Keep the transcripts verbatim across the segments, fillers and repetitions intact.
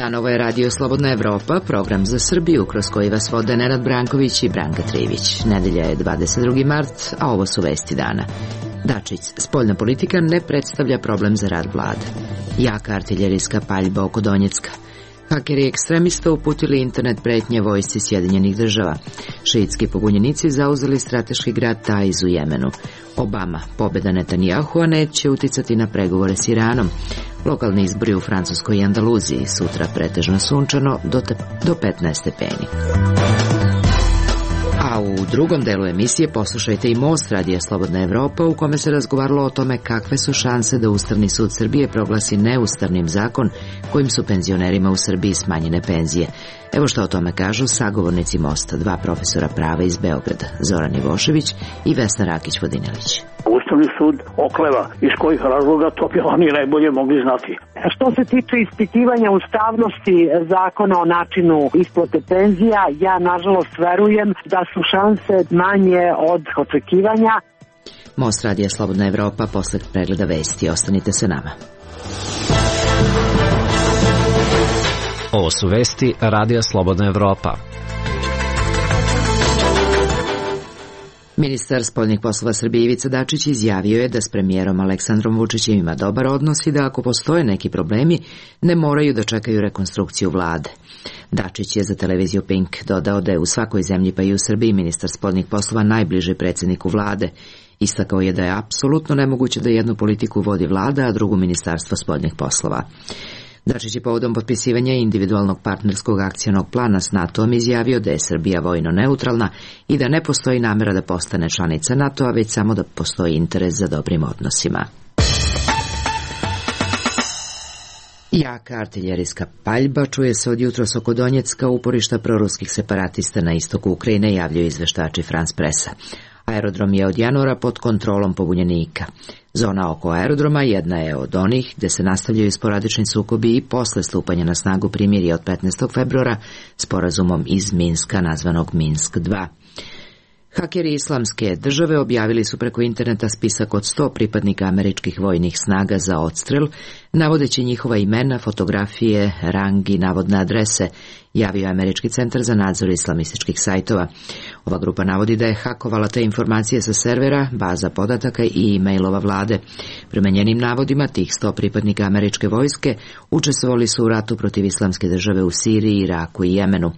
dan, ovo je Radio Slobodna Evropa, program za Srbiju, kroz koji vas vode Nenad Branković i Branka Trivić. Nedelja je dvadeset drugi mart, a ovo su vesti dana. Dačić, spoljna politika ne predstavlja problem za rad vlade. Jaka artiljerijska paljba oko Donjecka. Hakeri ekstremista uputili internet pretnje vojsci Sjedinjenih država. Šiitski pobunjenici zauzeli strateški grad Taiz u Jemenu. Obama, pobjeda Netanyahua neće uticati na pregovore s Iranom. Lokalni izbori u Francuskoj i Andaluziji, sutra pretežno sunčano do, te, do petnaest stepeni. A u drugom delu emisije poslušajte i Most Radija Slobodna Evropa, u kome se razgovaralo o tome kakve su šanse da Ustavni sud Srbije proglasi neustavnim zakon kojim su penzionerima u Srbiji smanjene penzije. Evo što o tome kažu sagovornici Mosta, dva profesora prava iz Beograda, Zoran Ivošević i Vesna Rakić-Vodinelić. Ustavni sud okleva, iz kojih razloga to bi oni najbolje mogli znati. Što se tiče ispitivanja ustavnosti zakona o načinu isplate penzija, ja nažalost verujem da su šanse manje od očekivanja. Most Radija Slobodna Evropa posle pregleda vesti. Ostanite sa nama. Ovo su vesti Radija Slobodna Evropa. Ministar spoljnih poslova Srbije Ivica Dačić izjavio je da s premijerom Aleksandrom Vučićem ima dobar odnos i da ako postoje neki problemi, ne moraju da čekaju rekonstrukciju vlade. Dačić je za televiziju Pink dodao da je u svakoj zemlji, pa i u Srbiji, ministar spoljnih poslova najbliži predsjedniku vlade. Istakao je da je apsolutno nemoguće da jednu politiku vodi vlada, a drugu ministarstvo spoljnih poslova. Dačić je povodom potpisivanja individualnog partnerskog akcionog plana s NATO-om izjavio da je Srbija vojno neutralna i da ne postoji namera da postane članica NATO-a, već samo da postoji interes za dobrim odnosima. Jaka artiljerijska paljba čuje se od jutros oko Donjecka, uporišta proruskih separatista na istoku Ukrajine, javljaju izveštači France Pressa. Aerodrom je od januara pod kontrolom pobunjenika. Zona oko aerodroma jedna je od onih gde se nastavljaju sporadični sukobi i posle stupanja na snagu primirja od petnaestog februara sporazumom iz Minska nazvanog Minsk dva. Hakeri Islamske države objavili su preko interneta spisak od sto pripadnika američkih vojnih snaga za odstrel, navodeći njihova imena, fotografije, rang i navodne adrese, javio Američki centar za nadzor islamističkih sajtova. Ova grupa navodi da je hakovala te informacije sa servera, baza podataka i e-mailova vlade. Prema njenim navodima, tih sto pripadnika američke vojske učestvovali su u ratu protiv Islamske države u Siriji, Iraku i Jemenu.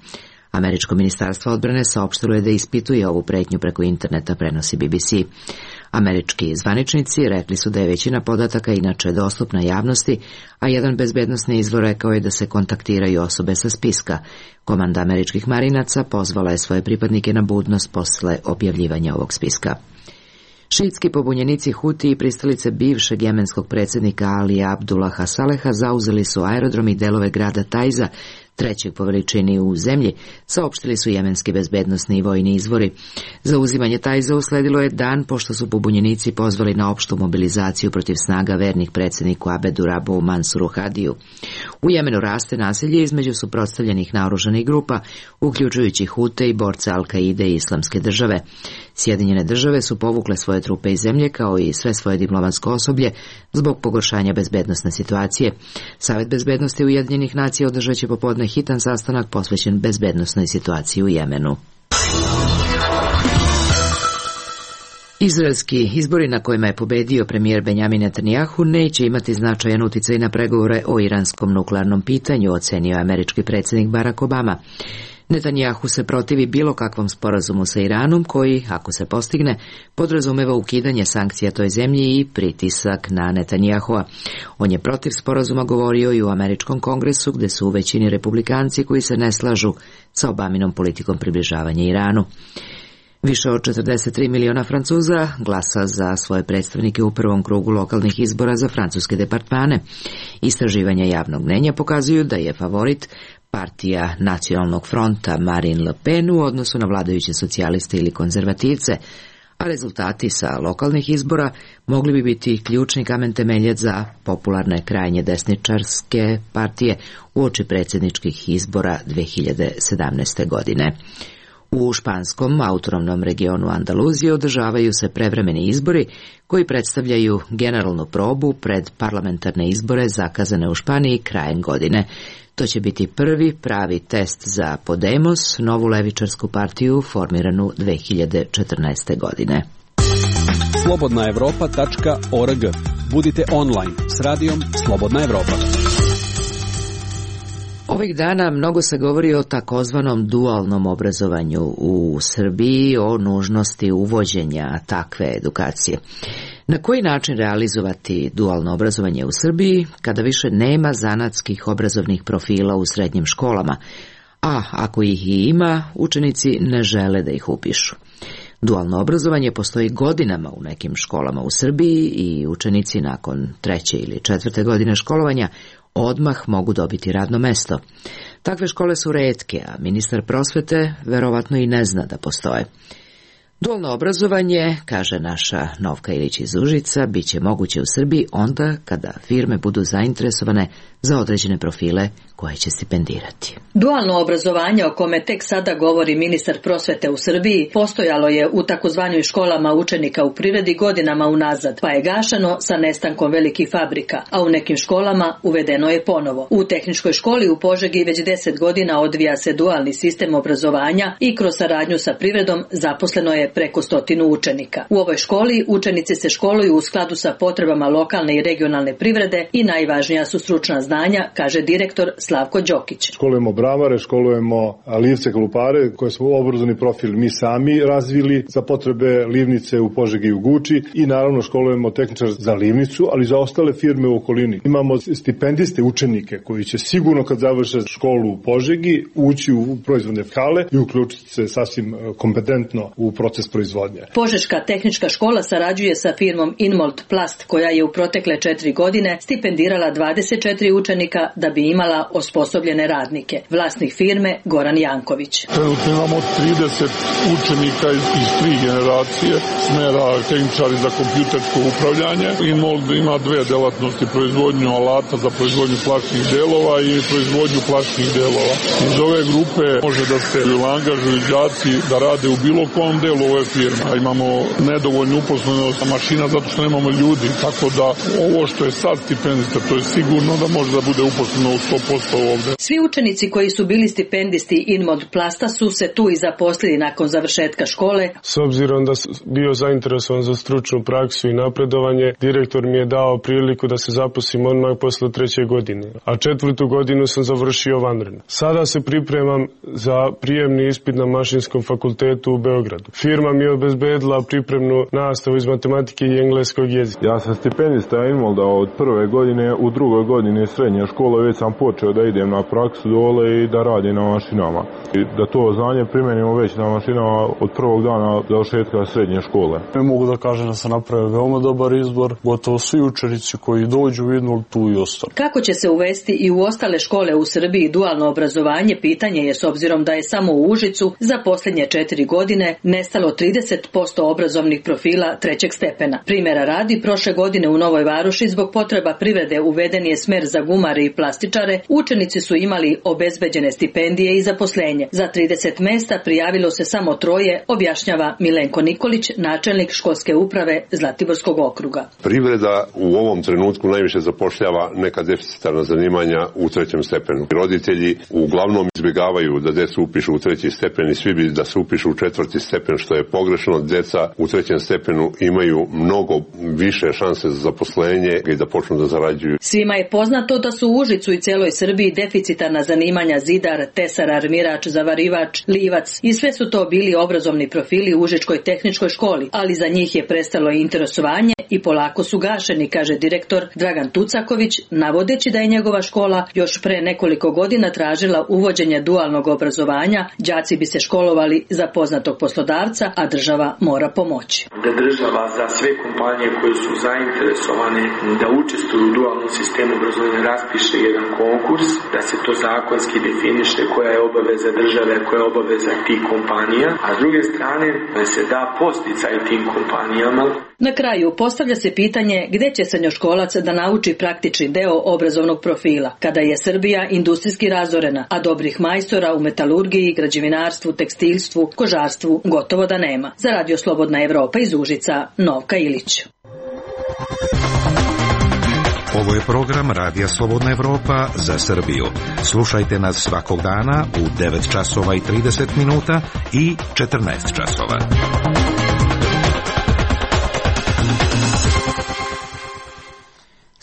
Američko ministarstvo odbrane saopštilo je da ispituje ovu pretnju preko interneta, prenosi B B C. Američki zvaničnici rekli su da je većina podataka inače dostupna javnosti, a jedan bezbednosni izvor rekao je da se kontaktiraju osobe sa spiska. Komanda američkih marinaca pozvala je svoje pripadnike na budnost posle objavljivanja ovog spiska. Šiitski pobunjenici Huti i pristalice bivšeg jemenskog predsjednika Alija Abdullaha Saleha zauzeli su aerodrom i delove grada Taiza, trećeg po veličini u zemlji, saopštili su jemenski bezbednosni i vojni izvori. Zauzimanje Taiza usledilo je dan pošto su pobunjenici pozvali na opštu mobilizaciju protiv snaga vernih predsjedniku Abedu Rabu Mansuru Hadiju. U Jemenu raste nasilje između suprotstavljenih naoružanih grupa, uključujući Hute i borce Al-Kaide i Islamske države. Sjedinjene države su povukle svoje trupe iz zemlje, kao i sve svoje diplomatsko osoblje, zbog pogoršanja bezbednosne situacije. Savet bezbednosti Ujedinjenih nacija održat će popodne hitan sastanak posvećen bezbednosnoj situaciji u Jemenu. Izraelski izbori na kojima je pobedio premijer Benjamin Netanyahu neće imati značajan uticaj na pregovore o iranskom nuklearnom pitanju, ocenio američki predsjednik Barack Obama. Netanyahu se protivi bilo kakvom sporazumu sa Iranom koji, ako se postigne, podrazumeva ukidanje sankcija toj zemlji i pritisak na Netanyahua. On je protiv sporazuma govorio i u američkom kongresu, gde su u većini republikanci koji se ne slažu sa Obaminom politikom približavanja Iranu. Više od četrdeset tri miliona Francuza glasa za svoje predstavnike u prvom krugu lokalnih izbora za francuske departmane. Istraživanja javnog mnenja pokazuju da je favorit partija Nacionalnog fronta Marine Le Pen u odnosu na vladajuće socijaliste ili konzervativce, a rezultati sa lokalnih izbora mogli bi biti ključni kamen temeljac za popularne krajnje desničarske partije uoči predsjedničkih izbora dve hiljade sedamnaeste. godine. U španskom autonomnom regionu Andaluzije održavaju se prevremeni izbori koji predstavljaju generalnu probu pred parlamentarne izbore zakazane u Španiji krajem godine. To će biti prvi pravi test za Podemos, novu levičarsku partiju formiranu dve hiljade četrnaeste. godine. slobodna evropa tačka org. Budite online s radijom Slobodna Evropa. Ovih dana mnogo se govori o takozvanom dualnom obrazovanju u Srbiji, o nužnosti uvođenja takve edukacije. Na koji način realizovati dualno obrazovanje u Srbiji kada više nema zanatskih obrazovnih profila u srednjim školama, a ako ih i ima, učenici ne žele da ih upišu? Dualno obrazovanje postoji godinama u nekim školama u Srbiji i učenici nakon treće ili četvrte godine školovanja odmah mogu dobiti radno mesto. Takve škole su retke, a ministar prosvete verovatno i ne zna da postoje. Dualno obrazovanje, kaže naša Novka Ilić iz Užica, bit će moguće u Srbiji onda kada firme budu zainteresovane za određene profile koje će stipendirati. Dualno obrazovanje, o kome tek sada govori ministar prosvete u Srbiji, postojalo je u takozvanim školama učenika u privredi godinama unazad, pa je gašano sa nestankom velikih fabrika, a u nekim školama uvedeno je ponovo. U tehničkoj školi u Požegi već deset godina odvija se dualni sistem obrazovanja i kroz saradnju sa privredom zaposleno je preko stotinu učenika. U ovoj školi učenici se školuju u skladu sa potrebama lokalne i regionalne privrede i najvažnija su stručna znanja, kaže direktor Slavko Đokić. Školujemo bravare, školujemo livce, klupare, koje smo obrazovni profil mi sami razvili za potrebe livnice u Požegi i u Guči, i naravno školujemo tehničar za livnicu, ali za ostale firme u okolini. Imamo stipendiste učenike koji će sigurno kad završe školu u Požegi ući u proizvodne hale i uključiti se sasvim kompetentno u proces proizvodnje. Požeška tehnička škola sarađuje sa firmom Inmold Plast, koja je u protekle četiri godine stipendirala dvadeset četiri učenika da bi imala osposobljene radnike. Vlasnik firme Goran Janković. Trenutno imamo trideset učenika iz, iz tri generacije smera tehničari za kompjutersko upravljanje. Inmold ima dve delatnosti, proizvodnju alata za proizvodnju plastičnih delova i proizvodnju plastičnih delova. Iz ove grupe može da se angažuju đaci da rade u bilo kom delu ove firme. Imamo nedovoljnu uposlenost mašina zato što nemamo ljudi, tako da ovo što je sad stipendista, to je sigurno da može da bude uposleno u sto posto ovde. Svi učenici koji su bili stipendisti Inmod Plasta su se tu i zaposlili nakon završetka škole. S obzirom da sam bio zainteresovan za stručnu praksu i napredovanje, direktor mi je dao priliku da se zaposlim odmah posle treće godine, a četvrtu godinu sam završio vanredno. Sada se pripremam za prijemni ispit na Mašinskom fakultetu u Beogradu. Firma mi je obezbedila pripremnu nastavu iz matematike i engleskog jezika. Ja sam stipendista Inmolda od prve godine, u drugoj godini srednje škole već sam počeo da idem na praksu dole i da radim na mašinama. I da to znanje primenimo već na mašinama od prvog dana završetka srednje škole. Ne mogu da kažem da sam napravio veoma dobar izbor, gotovo svi učenici koji dođu u Inmold tu i ostanu. Kako će se uvesti i u ostale škole u Srbiji dualno obrazovanje, pitanje je s obzirom da je samo u Užicu za posljednje četiri godine nestalo trideset posto obrazovnih profila trećeg stepena. Primjera radi, prošle godine u Novoj Varoši zbog potreba privrede uveden je smer za gumare i plastičare, učenici su imali obezbeđene stipendije i zaposlenje. Za trideset mesta prijavilo se samo troje, objašnjava Milenko Nikolić, načelnik školske uprave Zlatiborskog okruga. Privreda u ovom trenutku najviše zapošljava neka deficitarna zanimanja u trećem stepenu. Roditelji uglavnom izbjegavaju da decu upišu u treći stepen i svi bi da se upišu u četvrti stepen, što je pogrešno. Deca u trećem stepenu imaju mnogo više šanse za zaposlenje i da počnu da zarađuju. Svima je poznato da su u Užicu i celoj Srbiji deficitarna zanimanja zidar, tesar, armirač, zavarivač, livac i sve su to bili obrazovni profili u Užičkoj tehničkoj školi, ali za njih je prestalo interesovanje i polako su gašeni, kaže direktor Dragan Tucaković, navodeći da je njegova škola još pre nekoliko godina tražila uvođenje dualnog obrazovanja, đaci bi se školovali za poznatog poslodavca, mjesta, a država mora pomoći. Da država za sve kompanije koje su zainteresovane da učestvuju u dualnom sistemu obrazovanja raspiše jedan konkurs, da se to zakonski definiše koja je obaveza države, koja je obaveza tih kompanija, a s druge strane da se da posticaj tim kompanijama. Na kraju postavlja se pitanje gdje će srednjoškolac da nauči praktični deo obrazovnog profila, kada je Srbija industrijski razorena, a dobrih majstora u metalurgiji, građevinarstvu, tekstilstvu, kožarstvu gotovo da nema. Za Radio Slobodna Evropa iz Užica, Novka Ilić. Ovo je program Radija Slobodna Evropa za Srbiju. Slušajte nas svakog dana u devet časova i trideset minuta i četrnaest časova.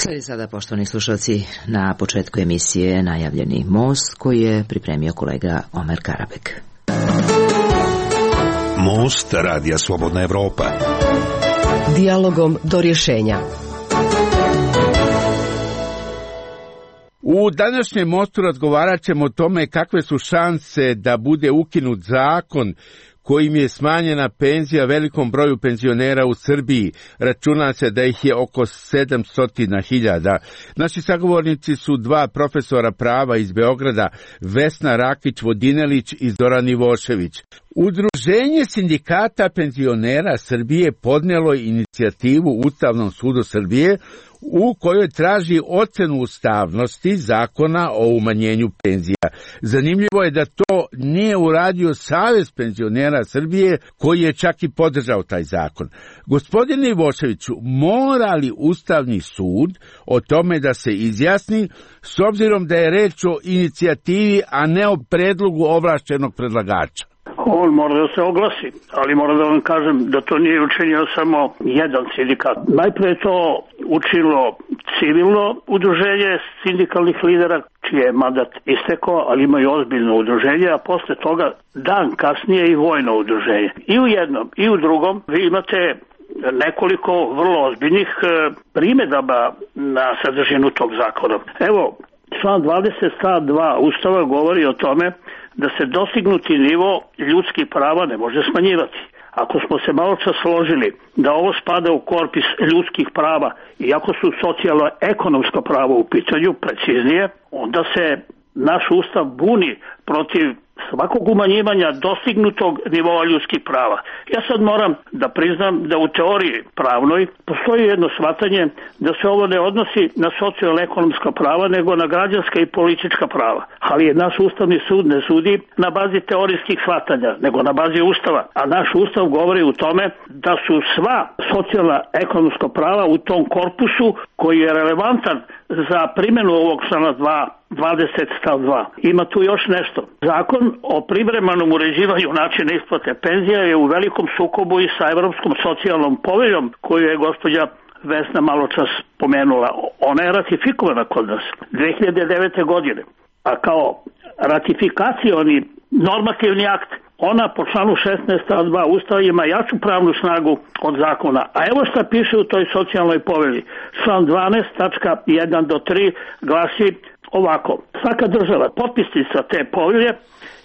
Slijedi sada, poštovani slušalci, na početku emisije najavljeni most koji je pripremio kolega Omer Karabek. Most Radija Slobodna Evropa. Dijalogom do rješenja. U današnjem mostu razgovarat ćemo o tome kakve su šanse da bude ukinut zakon kojim je smanjena penzija velikom broju penzionera u Srbiji. Računa se da ih je oko sedamsto hiljada. Naši sagovornici su dva profesora prava iz Beograda, Vesna Rakić-Vodinelić i Zoran Ivošević. Udruženje sindikata penzionera Srbije podnijelo je inicijativu Ustavnom sudu Srbije u kojoj traži ocenu ustavnosti zakona o umanjenju penzija. Zanimljivo je da to nije uradio Savez penzionera Srbije, koji je čak i podržao taj zakon. Gospodine Ivoševiću, mora li Ustavni sud o tome da se izjasni, s obzirom da je reč o inicijativi, a ne o predlogu ovlašćenog predlagača? On mora da se oglasi, ali moram da vam kažem da to nije učinio samo jedan sindikat. Najprije je to učinilo civilno udruženje sindikalnih lidera, čiji je mandat istekao, ali imaju ozbiljno udruženje, a posle toga dan kasnije i vojno udruženje. I u jednom i u drugom vi imate nekoliko vrlo ozbiljnih primjedaba na sadržinu tog zakona. Evo, član dvadeset stav dva Ustava govori o tome da se dostignuti nivo ljudskih prava ne može smanjivati. Ako smo se malo čas složili da ovo spada u korpus ljudskih prava, iako su socijalno-ekonomsko pravo u pitanju, preciznije, onda se naš Ustav buni protiv svakog umanjivanja dostignutog nivoa ljudskih prava. Ja sad moram da priznam da u teoriji pravnoj postoji jedno shvatanje da se ovo ne odnosi na socijalno-ekonomska prava, nego na građanska i politička prava. Ali je naš Ustavni sud ne sudi na bazi teorijskih shvatanja, nego na bazi Ustava. A naš Ustav govori u tome da su sva socijalno-ekonomska prava u tom korpusu koji je relevantan za primjenu ovog člana dvadeset stav dva. Ima tu još nešto. Zakon o privremenom uređivanju načina isplate penzija je u velikom sukobu i sa Evropskom socijalnom poveljom koju je gospođa Vesna malo čas pomenula. Ona je ratifikovana kod nas dve hiljade devete. godine, a kao ratifikacioni normativni akt ona po članu šesnaest stav dva Ustava ima jaču pravnu snagu od zakona. A evo šta piše u toj socijalnoj povelji. Član dvanaest tačka jedan do tri glasi ovako. Svaka država, potpisnica te povelje,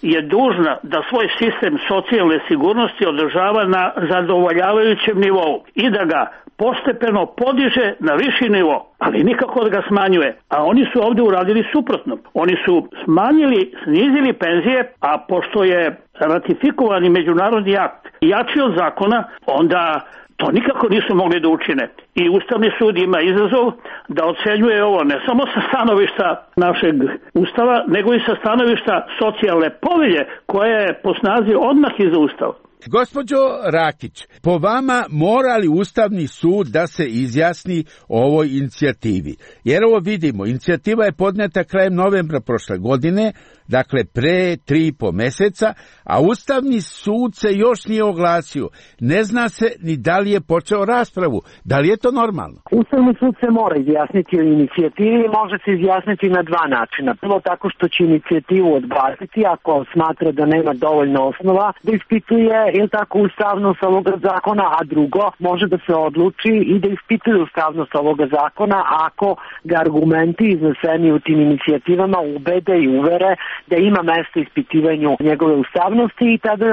je dužna da svoj sistem socijalne sigurnosti održava na zadovoljavajućem nivou i da ga postepeno podiže na viši nivo, ali nikako da ga smanjuje. A oni su ovdje uradili suprotno. Oni su smanjili, snizili penzije, a pošto je ratifikovani međunarodni akt jači od zakona, onda to nikako nisu mogli da učine. I Ustavni sud ima izazov da ocenjuje ovo ne samo sa stanovišta našeg Ustava, nego i sa stanovišta socijalne povelje koja je po snazi odmah iza Ustava. Gospođo Rakić, po vama mora li Ustavni sud da se izjasni o ovoj inicijativi? Jer ovo vidimo, inicijativa je podneta krajem novembra prošle godine, dakle pre tri i po meseca, a Ustavni sud se još nije oglasio. Ne zna se ni da li je počeo raspravu. Da li je to normalno? Ustavni sud se mora izjasniti o inicijativi i može se izjasniti na dva načina. Prvo tako što će inicijativu odbaciti ako smatra da nema dovoljno osnova da ispituje ili tako ustavnost ovoga zakona, a drugo može da se odluči i da ispituje ustavnost ovoga zakona ako ga argumenti izneseni u tim inicijativama ubede i uvere da ima mesta ispitivanju njegove ustavnosti i tada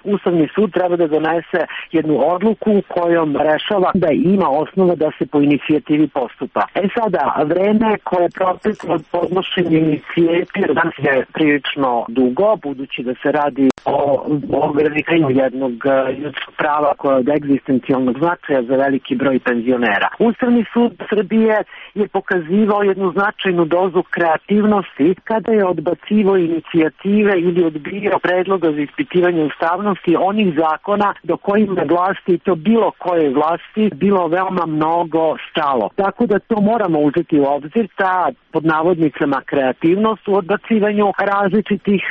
Ustavni sud treba da donese jednu odluku kojom rešava da ima osnova da se po inicijativi postupa. E sada, vreme koje je proteklo od podnošenja inicijative danas je prilično dugo, budući da se radi o ograničenju jednog ljudskog prava koje je od egzistencijalnog značaja za veliki broj penzionera. Ustavni sud Srbije je pokazivao jednu značajnu dozu kreativnosti kada je odbacivao inicijative ili odbijao predloga za ispitivanje ustavnosti onih zakona do kojima vlasti, to bilo koje vlasti, bilo veoma mnogo stalo. Tako da to moramo uzeti u obzir, ta pod navodnicama kreativnost u odbacivanju različitih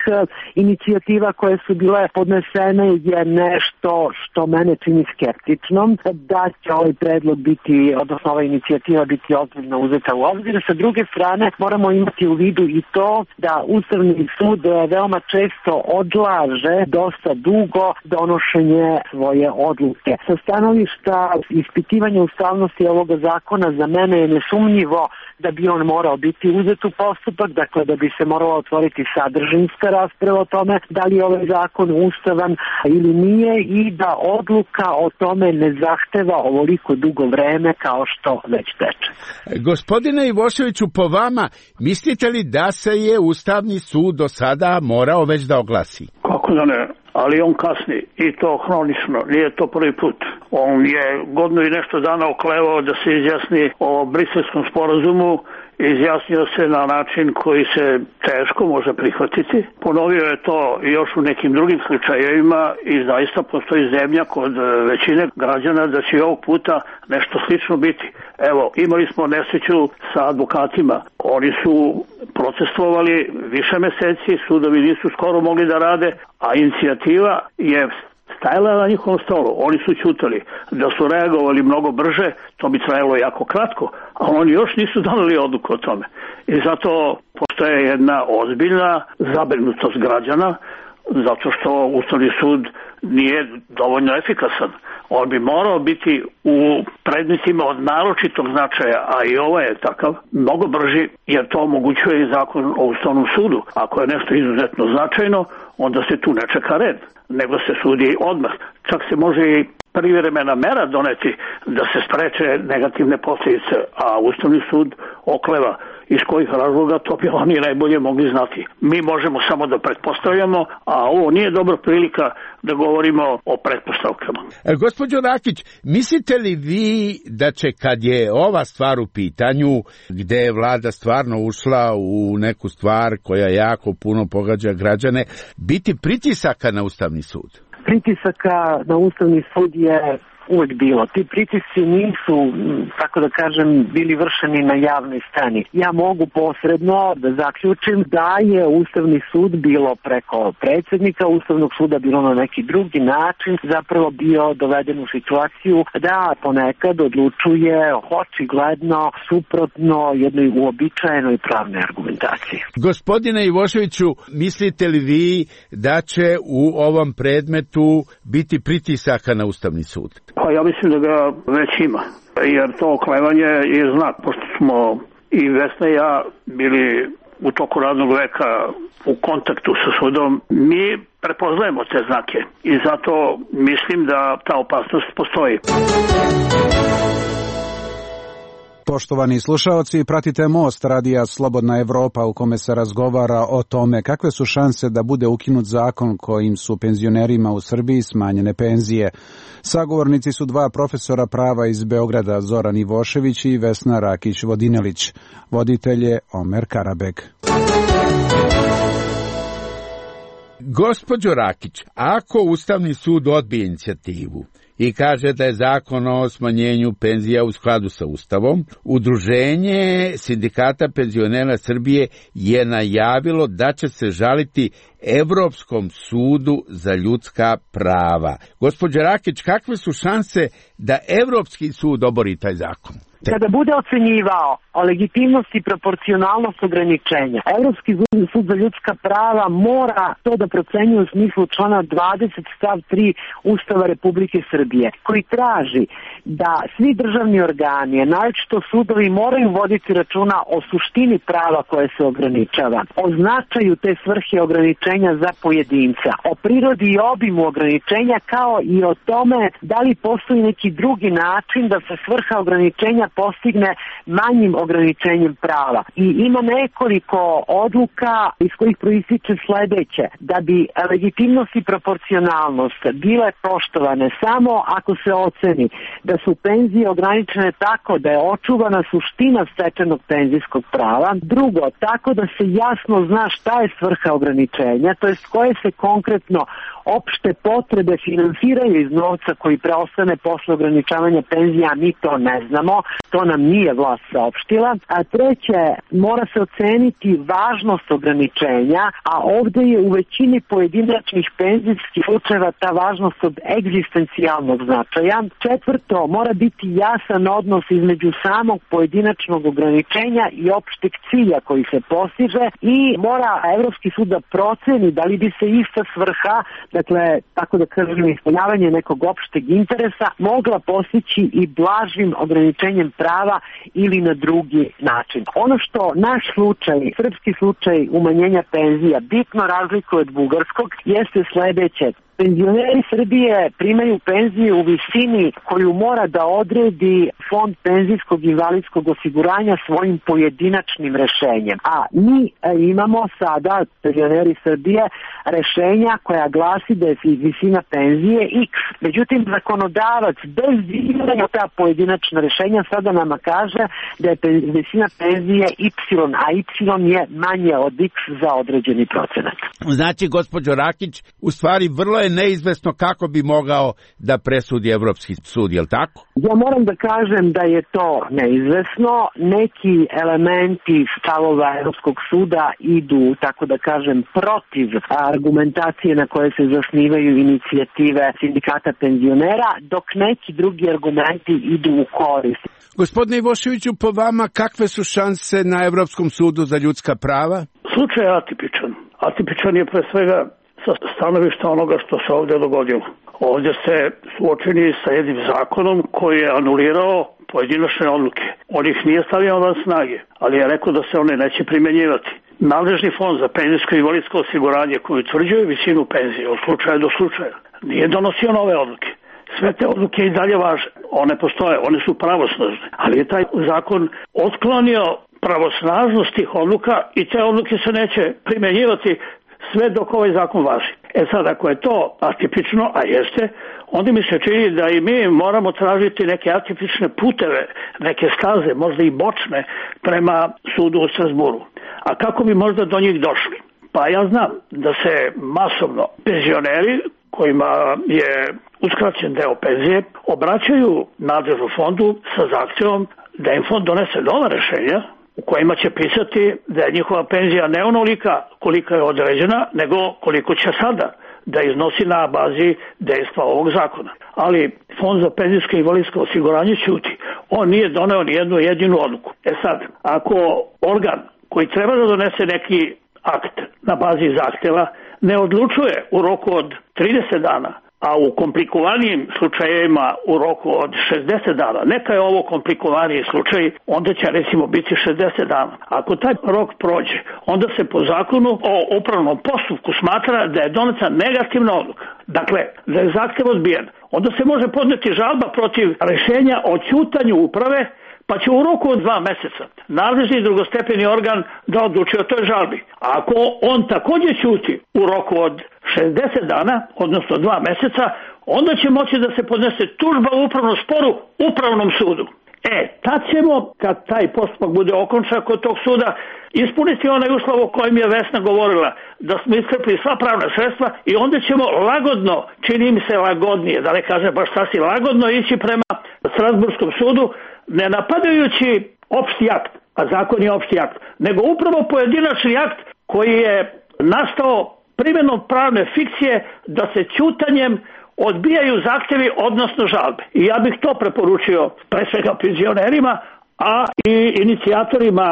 inicijativa koje su bile podnesene je nešto što mene čini skeptičnom, da će ovaj predlog biti, odnosno ova inicijativa biti ozbiljno uzeta u obzir. Sa druge strane, moramo imati u vidu i to da Ustavni sud veoma često odlaže dosta dugo donošenje svoje odluke. Sa stanovišta ispitivanja ustavnosti ovoga zakona za mene je nesumnjivo da bi on morao biti uzet u postupak, dakle da bi se morala otvoriti sadržinska rasprava o tome da li je ovaj zakon ustavan ili nije i da odluka o tome ne zahteva ovoliko dugo vreme kao što već teče. Gospodine Ivoševiću, po vama, mislite li da se je Ustavni sud do sada morao već da oglasi? Kako da ne? Ali on kasni i to hronično, nije to prvi put. On je godinu i nešto dana oklevao da se izjasni o Briselskom sporazumu, izjasnio se na način koji se teško može prihvatiti. Ponovio je to još u nekim drugim slučajevima i zaista postoji zemlja kod većine građana da će ovog puta nešto slično biti. Evo, imali smo nesreću sa advokatima. Oni su protestovali više meseci, sudovi nisu skoro mogli da rade, a inicijativa je stajala na njihovom stolu. Oni su ćutali. Da su reagovali mnogo brže, to bi trajalo jako kratko, a oni još nisu doneli odluku o tome. I zato postoje jedna ozbiljna zabrinutost građana, zato što Ustavni sud nije dovoljno efikasan. On bi morao biti u predmetima od naročitog značaja, a i ovo je takav, mnogo brži, jer to omogućuje i zakon o Ustavnom sudu. Ako je nešto izuzetno značajno, onda se tu ne čeka red, nego se sudi odmah. Čak se može i privremena mera doneti da se spreče negativne posljedice, a Ustavni sud okleva. Iz kojih razloga, to bi oni najbolje mogli znati. Mi možemo samo da pretpostavljamo, a ovo nije dobra prilika da govorimo o pretpostavkama. E, gospođo Rakić, mislite li vi da će, kad je ova stvar u pitanju, gde je vlada stvarno ušla u neku stvar koja jako puno pogađa građane, biti pritisaka na Ustavni sud? Pritisaka na Ustavni sud je uvek bilo. Ti pritisci nisu, tako da kažem, bili vršeni na javnoj sceni. Ja mogu posredno da zaključim da je Ustavni sud bilo preko predsjednika Ustavnog suda, bilo na neki drugi način, zapravo bio doveden u situaciju da ponekad odlučuje očigledno suprotno jednoj uobičajenoj pravnoj argumentaciji. Gospodine Ivoševiću, mislite li vi da će u ovom predmetu biti pritisaka na Ustavni sud? Pa ja mislim da ga već ima, jer to oklevanje je znak, pošto smo i Vesna i ja bili u toku radnog veka u kontaktu sa sudom, mi prepoznajemo te znake i zato mislim da ta opasnost postoji. Poštovani slušaoci, pratite Most radija Slobodna Evropa u kome se razgovara o tome kakve su šanse da bude ukinut zakon kojim su penzionerima u Srbiji smanjene penzije. Sagovornici su dva profesora prava iz Beograda, Zoran Ivošević i Vesna Rakić-Vodinelić. Voditelj je Omer Karabek. Gospođo Rakić, ako Ustavni sud odbije inicijativu i kaže da je zakon o smanjenju penzija u skladu sa Ustavom, Udruženje sindikata penzionera Srbije je najavilo da će se žaliti Evropskom sudu za ljudska prava. Gospođa Rakić, kakve su šanse da Evropski sud obori taj zakon? Kada bude ocenjivao o legitimnosti i proporcionalnost ograničenja, Evropski sud za ljudska prava mora to da procenjuje u smislu člana dvadeset stav tri Ustava Republike Srbije, koji traži da svi državni organi, naročito sudovi, moraju voditi računa o suštini prava koje se ograničava, o značaju te svrhe ograničenja za pojedinca, o prirodi i obimu ograničenja, kao i o tome da li postoji neki drugi način da se svrha ograničenja postigne manjim ograničenjem prava. I ima nekoliko odluka iz kojih proističe sledeće: da bi legitimnost i proporcionalnost bile poštovane samo ako se oceni da su penzije ograničene tako da je očuvana suština stečenog penzijskog prava. Drugo, tako da se jasno zna šta je svrha ograničenja, to jest koje se konkretno opšte potrebe finansiraju iz novca koji preostane posle ograničavanja penzija, mi to ne znamo, to nam nije vlast saopštila. A treće, mora se oceniti važnost ograničenja, a ovde je u većini pojedinačnih penzijskih slučajeva ta važnost od egzistencijalnog značaja. Četvrto, mora biti jasan odnos između samog pojedinačnog ograničenja i opšteg cilja koji se postiže i mora Evropski sud da proceni da li bi se ista svrha, dakle, tako da kažem, ispunjavanje nekog opšteg interesa, mogla postići i blažim ograničenjem prava ili na drugi način. Ono što naš slučaj, srpski slučaj umanjenja penzija bitno razlikuje od bugarskog jeste sledeće. Penzioneri Srbije primaju penziju u visini koju mora da odredi Fond penzijskog i invalidskog osiguranja svojim pojedinačnim rešenjem. A mi imamo sada, penzioneri Srbije, rešenja koja glasi da je visina penzije X. Međutim, zakonodavac bez diranja ta pojedinačna rešenja sada nama kaže da je visina penzije Y, a Y je manje od X za određeni procenat. Znači, gospođo Rakić, u stvari vrlo je neizvesno kako bi mogao da presudi Evropski sud, je li tako? Ja moram da kažem da je to neizvesno. Neki elementi stavova Evropskog suda idu, tako da kažem, protiv argumentacije na koje se zasnivaju inicijative sindikata penzionera, dok neki drugi argumenti idu u korist. Gospodine Ivoševiću, po vama kakve su šanse na Evropskom sudu za ljudska prava? Slučaj je atipičan. Atipičan je pre svega sa stanovišta onoga što se ovdje dogodilo. Ovdje se suočeni sa jednim zakonom koji je anulirao pojedinačne odluke. On ih nije stavio van snage, ali je rekao da se one neće primjenjivati. Nadležni fond za penzijsko i invalidsko osiguranje koji utvrđuje visinu penzije od slučaja do slučaja nije donosio nove odluke. Sve te odluke i dalje važe. One postoje, one su pravosnažne, ali je taj zakon otklonio pravosnažnost tih odluka i te odluke se neće primjenjivati sve dok ovaj zakon važi. E sad, ako je to atipično, a jeste, onda mi se čini da i mi moramo tražiti neke atipične puteve, neke staze, možda i bočne, prema sudu u Strasburu. A kako bi možda do njih došli? Pa ja znam da se masovno penzioneri kojima je uskraćen deo penzije obraćaju nadležnom fondu sa zahtjevom da im fond donese nova rešenja u kojima će pisati da je njihova penzija ne onolika kolika je određena, nego koliko će sada da iznosi na bazi dejstva ovog zakona. Ali Fond za penzijsko i invalidsko osiguranje ćuti. On nije doneo ni jednu jedinu odluku. E sad, ako organ koji treba da donese neki akt na bazi zahtjeva ne odlučuje u roku od trideset dana, a u komplikovanijim slučajevima u roku od šezdeset dana, neka je ovo komplikovaniji slučaj, onda će recimo biti šezdeset dana. Ako taj rok prođe, onda se po zakonu o upravnom postupku smatra da je doneta negativna odluka. Dakle, da je zahtjev odbijen. Onda se može podneti žalba protiv rešenja o ćutanju uprave, pa će u roku od dva meseca nadležni drugostepeni organ da odluči o toj žalbi. A ako on također ćuti u roku od šezdeset dana, odnosno dva meseca, onda će moći da se podnese tužba u upravnom sporu upravnom sudu. E, tad ćemo, kad taj postupak bude okončan kod tog suda, ispuniti onaj uslov o kojem je Vesna govorila, da smo iscrpili sva pravna sredstva i onda ćemo lagodno, čini mi se lagodnije, da ne kažem baš sasvim lagodno, ići prema Strasburskom sudu, ne napadajući opšti akt, a zakon je opšti akt, nego upravo pojedinačni akt koji je nastao primjenom pravne fikcije da se ćutanjem odbijaju zahtjevi, odnosno žalbe. I ja bih to preporučio pre svega penzionerima, a i inicijatorima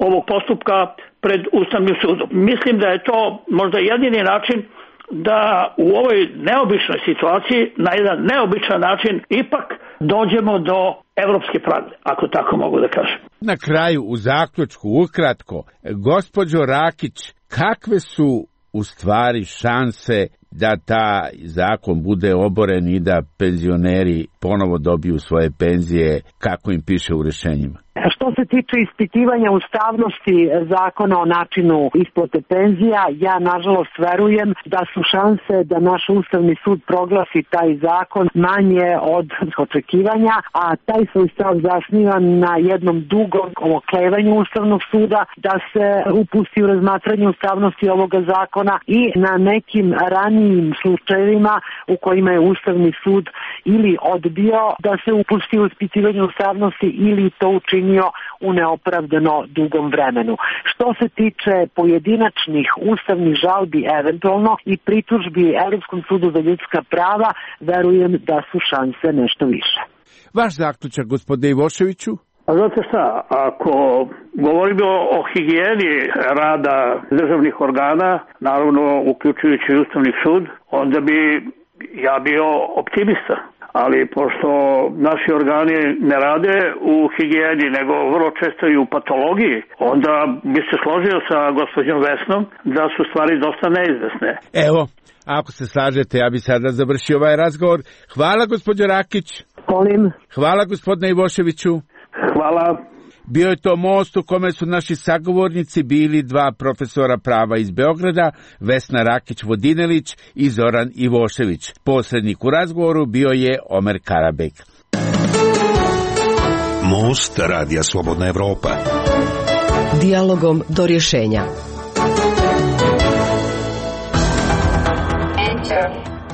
ovog postupka pred Ustavnim sudom. Mislim da je to možda jedini način da u ovoj neobičnoj situaciji, na jedan neobičan način, ipak dođemo do evropske pravde, ako tako mogu da kažem. Na kraju, u zaključku, ukratko, gospođo Rakić, kakve su u stvari šanse da ta zakon bude oboren i da penzioneri ponovo dobiju svoje penzije kako im piše u rješenjima? Što se tiče ispitivanja ustavnosti zakona o načinu isplate penzija, ja nažalost verujem da su šanse da naš Ustavni sud proglasi taj zakon manje od očekivanja, a taj svoj stav zasniva na jednom dugom oklevanju Ustavnog suda da se upusti u razmatranje ustavnosti ovoga zakona i na nekim ranijim slučajevima u kojima je Ustavni sud ili odbio da se upusti u ispitivanje ustavnosti ili to učinio u neopravdano dugom vremenu. Što se tiče pojedinačnih ustavnih žalbi eventualno i pritužbi Evropskom sudu za ljudska prava, verujem da su šanse nešto više. Vaš zaključak, gospodine Ivoševiću? A znate šta, ako govorimo o higijeni rada državnih organa, naravno uključujući Ustavni sud, onda bi ja bio optimista. Ali pošto naši organi ne rade u higijeni, nego vrlo često i u patologiji, onda bi se složio sa gospođom Vesnom da su stvari dosta neizvesne. Evo, ako se slažete, ja bi sada završio ovaj razgovor. Hvala, gospođo Rakić. Molim. Hvala, gospodine Ivoševiću. Hvala. Bio je to most u kome su naši sagovornici bili dva profesora prava iz Beograda, Vesna Rakić-Vodinelić i Zoran Ivošević. Posrednik u razgovoru bio je Omer Karabek. Most Radija Slobodna Evropa. Dijalogom do rješenja.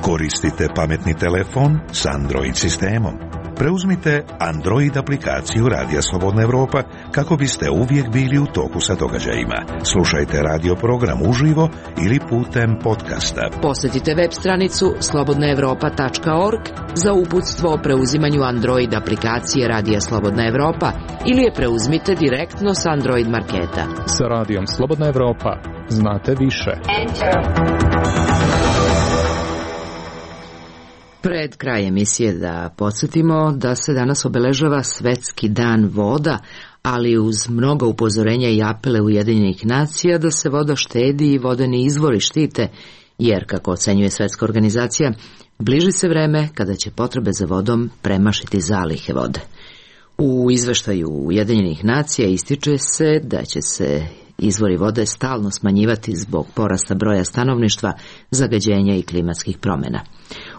Koristite pametni telefon s Android sistemom. Preuzmite Android aplikaciju Radija Slobodna Evropa kako biste uvijek bili u toku sa događajima. Slušajte radio program uživo ili putem podcasta. Posjetite web stranicu slobodna evropa tačka org za uputstvo o preuzimanju Android aplikacije Radija Slobodna Evropa ili je preuzmite direktno s Android marketa. Sa Radijom Slobodna Evropa znate više. Pred kraj emisije da podsjetimo da se danas obeležava Svetski dan voda, ali uz mnogo upozorenja i apele Ujedinjenih nacija da se voda štedi i vodeni izvori štite, jer, kako ocenjuje Svetska organizacija, bliži se vreme kada će potrebe za vodom premašiti zalihe vode. U izveštaju Ujedinjenih nacija ističe se da će se izvori vode stalno smanjivati zbog porasta broja stanovništva, zagađenja i klimatskih promjena.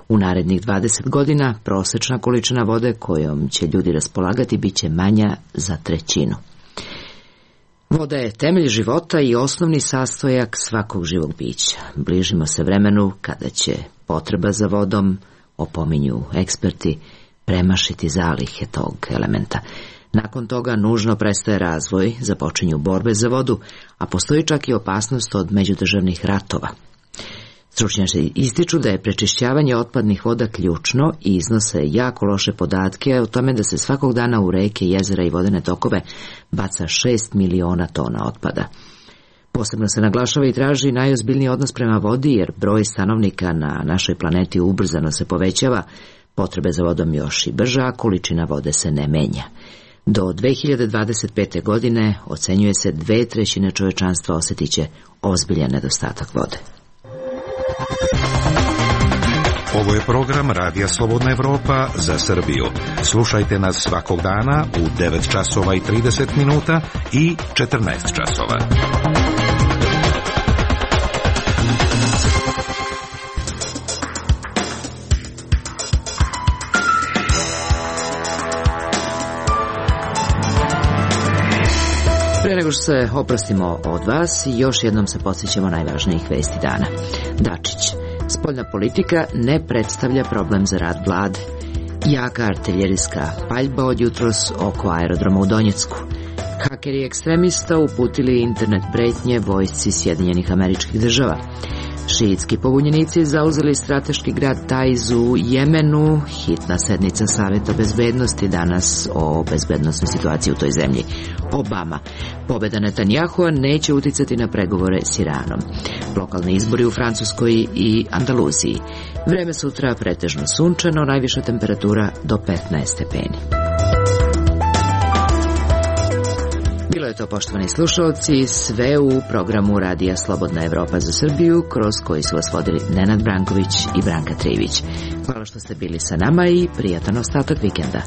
U narednih dvadeset godina prosječna količina vode kojom će ljudi raspolagati bit će manja za trećinu. Voda je temelj života i osnovni sastojak svakog živog bića. Bližimo se vremenu kada će potreba za vodom, opominju eksperti, premašiti zalihe tog elementa. Nakon toga nužno prestaje razvoj, započinju borbe za vodu, a postoji čak i opasnost od međudržavnih ratova. Stručnjaci ističu da je prečišćavanje otpadnih voda ključno i iznose jako loše podatke o tome da se svakog dana u reke, jezera i vodene tokove baca šest miliona tona otpada. Posebno se naglašava i traži najozbiljniji odnos prema vodi, jer broj stanovnika na našoj planeti ubrzano se povećava, potrebe za vodom još i brža, a količina vode se ne menja. Do dve hiljade dvadeset pete. godine ocenjuje se dve trećine čovečanstva osjetit će ozbiljan nedostatak vode. Ovo je program Radija Slobodna Evropa za Srbiju. Slušajte nas svakog dana u devet časova i trideset minuta i četrnaest časova. Prije nego što se oprostimo od vas, još jednom se podsjećamo najvažnijih vesti dana. Dačić. Spoljna politika ne predstavlja problem za rad vlade. Jaka artiljerijska paljba od jutros oko aerodroma u Donjecku. Hakeri ekstremista uputili internet pretnje vojsci Sjedinjenih Američkih Država. Šiitski pobunjenici zauzeli strateški grad Taiz u Jemenu. Hitna sednica Saveta bezbednosti danas o bezbednostnoj situaciji u toj zemlji. Obama. Pobeda Netanjahua neće uticati na pregovore s Iranom. Lokalni izbori u Francuskoj i Andaluziji. Vreme sutra pretežno sunčano, najviša temperatura do petnaest stepeni. Bilo je to, poštovani slušalci, sve u programu Radija Slobodna Evropa za Srbiju, kroz koji su vas vodili Nenad Branković i Branka Trivić. Hvala što ste bili sa nama i prijatan ostatak vikenda.